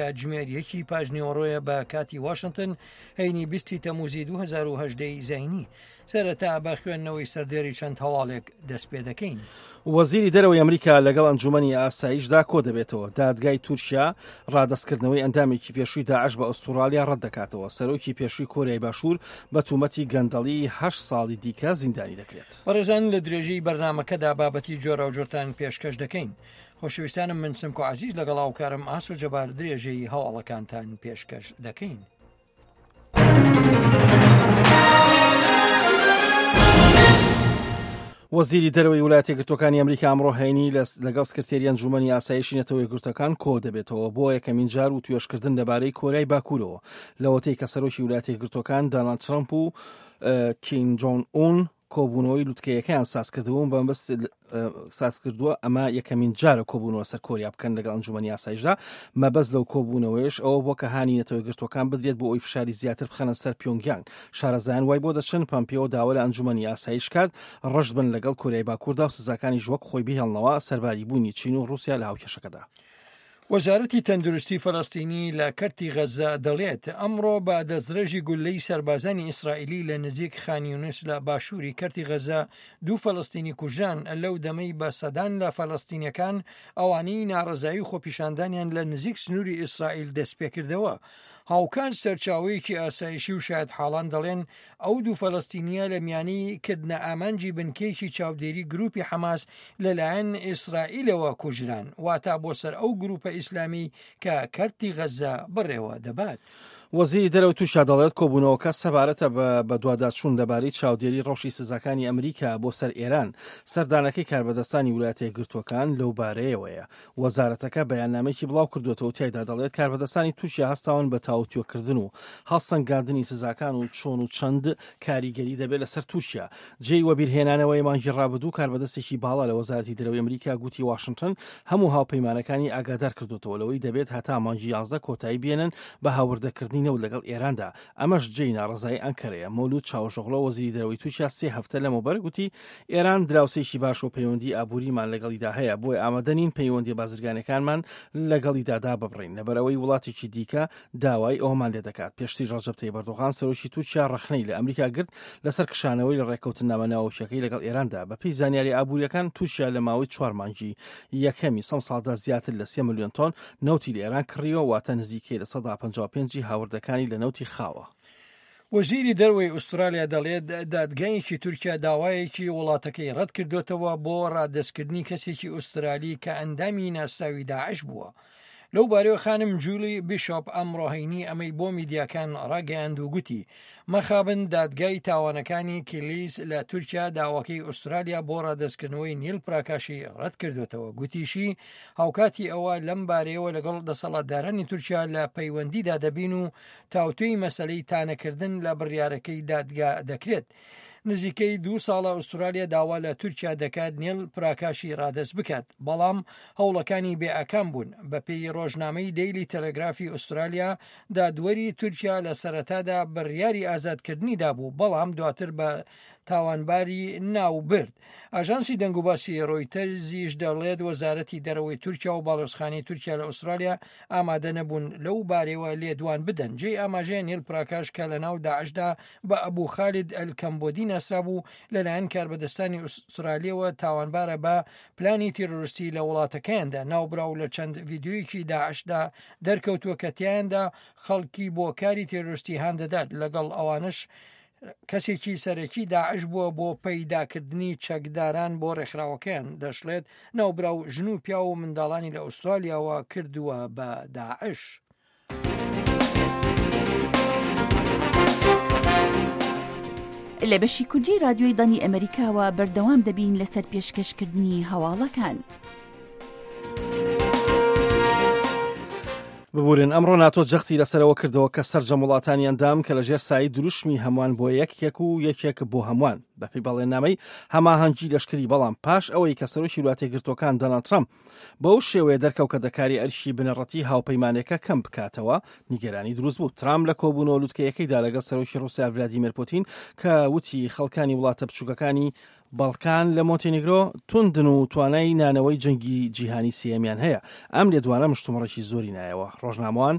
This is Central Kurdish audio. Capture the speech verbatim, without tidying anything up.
کاتژمێر یەکی پاش نیوەڕۆیە بە کاتی واشنتن، هەینی بیستی تەموزی دوو هەزار و هەژدە ی زایینی. سەرەتا بە خوێندنەوەی سەردێری چەند هەواڵێک دەست پێ دەکەین. وەزیری دەرەوەی ئەمریکا لەگەڵ ئەنجومەنی ئاسایشدا کۆدەبێتەوە. دادگای تورکیا ڕادەستکردنەوەی ئەندامێکی پێشووی داعش بە ئوستوڕالیا ڕەتدەکاتەوە. سەرۆکی پێشووی کۆریای باشوور بە تومەتی گەندەڵی هەشت ساڵی دیکە زیندانی دەکرێت. بەڕێزان لە درێژەی بەرنامەکەدا بابەتی جۆراوجۆرتان پێشکەش دەکەین. خۆشەویستانم من سمکۆ عەزیز لەگەڵ هاوکارم ئاسۆ جەبار درێژەی هەواڵەکانتان پێشکەش دەکەین. وەزیری دەرەوەی وڵاتە یەکگرتووەکانی ئەمریکا ئەمڕۆ هەینی لەگەڵ سکرتێری ئەنجومەنی ئاسایشی نەتەوە یەکگرتووەکان کۆ دەبێتەوە بۆ یەکەمین جار و توێشکردن لەبارەی کۆریای باکوورەوە لەوەتەی کە سەرۆکی وڵاتە یەکگرتووەکان داناڵد ترەمپ و کیم جۆنگ ئون کۆبوونەوەی لوتکەیەکەیان سازکردبوون بەمەبەست ساز کردووە. ئەمە یەکەمین جارە کۆبوونەوە سەر کۆریا بکەن لەگەڵ ئەنجومەنی ئاسایشدا. مەبەست لەو کۆبوونەوەیش ئەوە بووە کە هانی نەتەوە یەکگرتووەکان بدرێت بۆ ئەوی فشاری زیاتر بخەنە سەر پیۆنگیانگ. شارەزایان وای بۆ دەچن پەمپیۆ داوا لە ئەنجومەنی ئاسایش کات ڕەشت بن لەگەڵ کۆریای باکووردا و سزاکانیش وەک خۆی بهێڵنەوە سەرباری بوونی چین و ڕووسیا لە هاوکێشەکەدا. وەزارەتی تەندروستی فەلەستینی لە کەرتی غەززە دەڵێت، ئەمڕۆ بە دەستڕێژی گوللەی سەربازانی ئیسرائیلی لە نزیک خان یونس لە باشووری کەرتی غەززە دوو فەلەستینی کوژران، لەو دەمەی بە سەدان لە فەلەستینیەکان ئەوانەی ناڕەزایی و خۆپیشاندانیان لە نزیک سنووری ئیسرائیل دەستپێکردەوە. هاوکات سەرچاوەیەکی ئاسایشی و شایەتحاڵان دەڵێن ئەو دوو فەلەستینیە لە میانی کردنە ئامانجی بنکەیەکی چاودێری گروپی حەماس لەلایەن ئیسرائیلەوە کوژران، واتا بۆ سەر ئەو گروپە ئیسلامی کە کەرتی غەززە بەڕێوە دەبات. وەزیری دەرەوەی تورکیا دەڵێت کۆبوونەوەکە سەبارەتە بە بەدواداچوون لەبارەی چاودێری ڕەوشی سزاکانی ئەمریکا بۆ سەر ئێران، سەردانەکەی کاربەدەستانی ویلایەتە یەکگرتووەکان لەو بارەیەوەیە. وەزارەتەکە بەیاننامەیەکی بڵاو کردووەتەوە و تیایدا دەڵێت کاربەدەستانی تورکیا هەستاون بە تاوتوێکردن و هەڵسەنگاندنی سزاکان و چۆن و چەند کاریگەری دەبێت لەسەر تورکیا. جێی وەبیرهێنانەوەی مانگی ڕابردوو کاربەدەستێکی باڵا لە وەزارەتی دەرەوەی ئەمریکا گوتی واشنتن هەموو هاوپەیمانەکانی ئاگادار کردووەتەوە لەوەی دەبێت هەتا مانگی یازدە کۆتایی بێنن بە هاوردەکردنی نەوت لەگەڵ ئێراندا، ئەمەش جێی ناڕەزایی ئەنکەرەیە. مەولود چاوشئۆغلۆ وەزیری دەرەوەی تورکیا سێ هەفتە لەمەوبەر گوتی ئێران دراوسێکی باش و پەیوەندی ئابووریمان لەگەڵیدا هەیە، بۆیە ئامادە نین پەیوەندیە بازرگانیەکانمان لەگەڵیدا داببڕین، لەبەرئەوەی وڵاتێکی دیکە داوای ئەوەمان لێدەکات. پێشتریش ڕەجەب تەیب ئەردۆغان سەرۆکی تورکیا ڕەخنەی لە ئەمریکا گرت لەسەر کشانەوەی لە ڕێککەوتننامە ناوەکیەکەی لەگەڵ ئێراندا. بەپێی زانیاری ئابووریەکان تورکیا لە ماوەی چوار مانگی یەکەمی سەم ساڵدا زیاتر لە سێ ملیۆن تۆن نەوتی لە ئێران کڕیوە، واتە نزیکەی لە سەدا پەنجا و پێنج هاوردەکانی لە نەوتی خاوە. وەزیری دەرەوەی ئوسترالیا دەڵێت دادگایەکی تورکیا داوایەکی وڵاتەکەی ڕەتکردوێتەوە بۆ ڕادەستکردنی کەسێکی ئوسترالی کە ئەندامی ناسراوی داعش بووە. لەو بارەیەوە خانم جولی بیشۆپ ئەمڕۆ هەینی ئەمەی بۆ میدیاکان ڕاگەیاند و گوتی مەخابن دادگای تاوانەکانی کیلیس لە تورکیا داواکەی ئوسترالیا بۆ ڕادەستکردنەوەی نیل پراکاشی ڕەتکردوێتەوە. گوتیشی هاوکاتی ئەوە لەم بارەیەوە لەگەڵ دەسەڵاتدارانی تورکیا لە پەیوەندیدا دەبین و تاوتوێی مەسەلەی تانەکردن لە بڕیارەکەی دادگا دەکرێت. نزیکەی دوو ساڵە ئوسترالیا داوا لە تورکیا دەکات نیل پراکاشی ڕادەست بکات، بەڵام هەوڵەکانی بێ ئاکام بوون. بەپێی ڕۆژنامەی دەیلی تەلەگرافی ئوسترالیا، دادوەری تورکیا لە سەرەتادا بڕیاری ئازادکردنی دابوو، بەڵام دواتر بە تاوانباری ناوبرد. ئاژانسی دەنگوباسی ڕۆیتەرزیش دەڵێت وەزارەتی دەرەوەی تورکیا و باڵۆزخانەی تورکیا لە ئوسترالیا ئامادە نەبوون لەو بارەیەوە لێدوان بدەن. جێی ئاماژەیە نیل پراکاش کە لەناو داعشدا بە ئەبوو خالد ئەلکەمبۆدی ناسرابوو، لەلایەن کاربەدەستانی ئوسترالیەوە تاوانبارە بە پلانی تیرۆریستی لە وڵاتەکەیاندا. ناوبراو لە چەند ڤیدیۆیەکی داعشدا دەرکەوتووە کە تیایاندا خەڵکی بۆ کاری تیرۆریستی هان دەدات، لەگەڵ ئەوانش کەسێکی سەرەکی داعش بووە بۆ پەیداکردنی چەکداران بۆ ڕێکخراوەکەیان. دەشڵێت ناوبراو ژن و پیاو و منداڵانی لە ئوسترالیاوە کردووە بە داعش. لە بەشی کوردی رادیۆی دەنگی ئەمریکاوە بەردەوام دەبین لەسەر پێشکەشکردنی هەواڵەکان. ببورن ئەمڕۆ ناتۆ جەختی لەسەرەوە کردەوە کە سەرجەم وڵاتانی ئەندام کە لەژێر سایەی دروشمی هەمووان بۆ یەکێک و یەکێک بۆ هەمووان بەپێی بەڵێننامەی هەماهەنگی لەشکری، بەڵام پاش ئەوەی کە سەرۆکی وڵاتە یەکگرتووەکان دۆناڵد ترەمپ بەو شێوەیە دەرکەوت کە دەکاری ئەرکی بنەڕەتی هاوپەیمانەکە کەم بکاتەوە، نیگەرانی دروست بوو. ترامپ لە کۆبوونەوە لوتکەیەکەیدا لەگەڵ سەرۆکی ڕووسیا ڤلادیمێر پوتین کە وتی خەڵکانی وڵاتە بچووکەکانی بەڵکان لە مۆنتێنیگرۆ توندن و توانای نانەوەی جەنگی جیهانی سێیەمیان هەیە. ئەم لێدوانە مشتومڕێکی زۆری نایەوە. ڕۆژنامەوان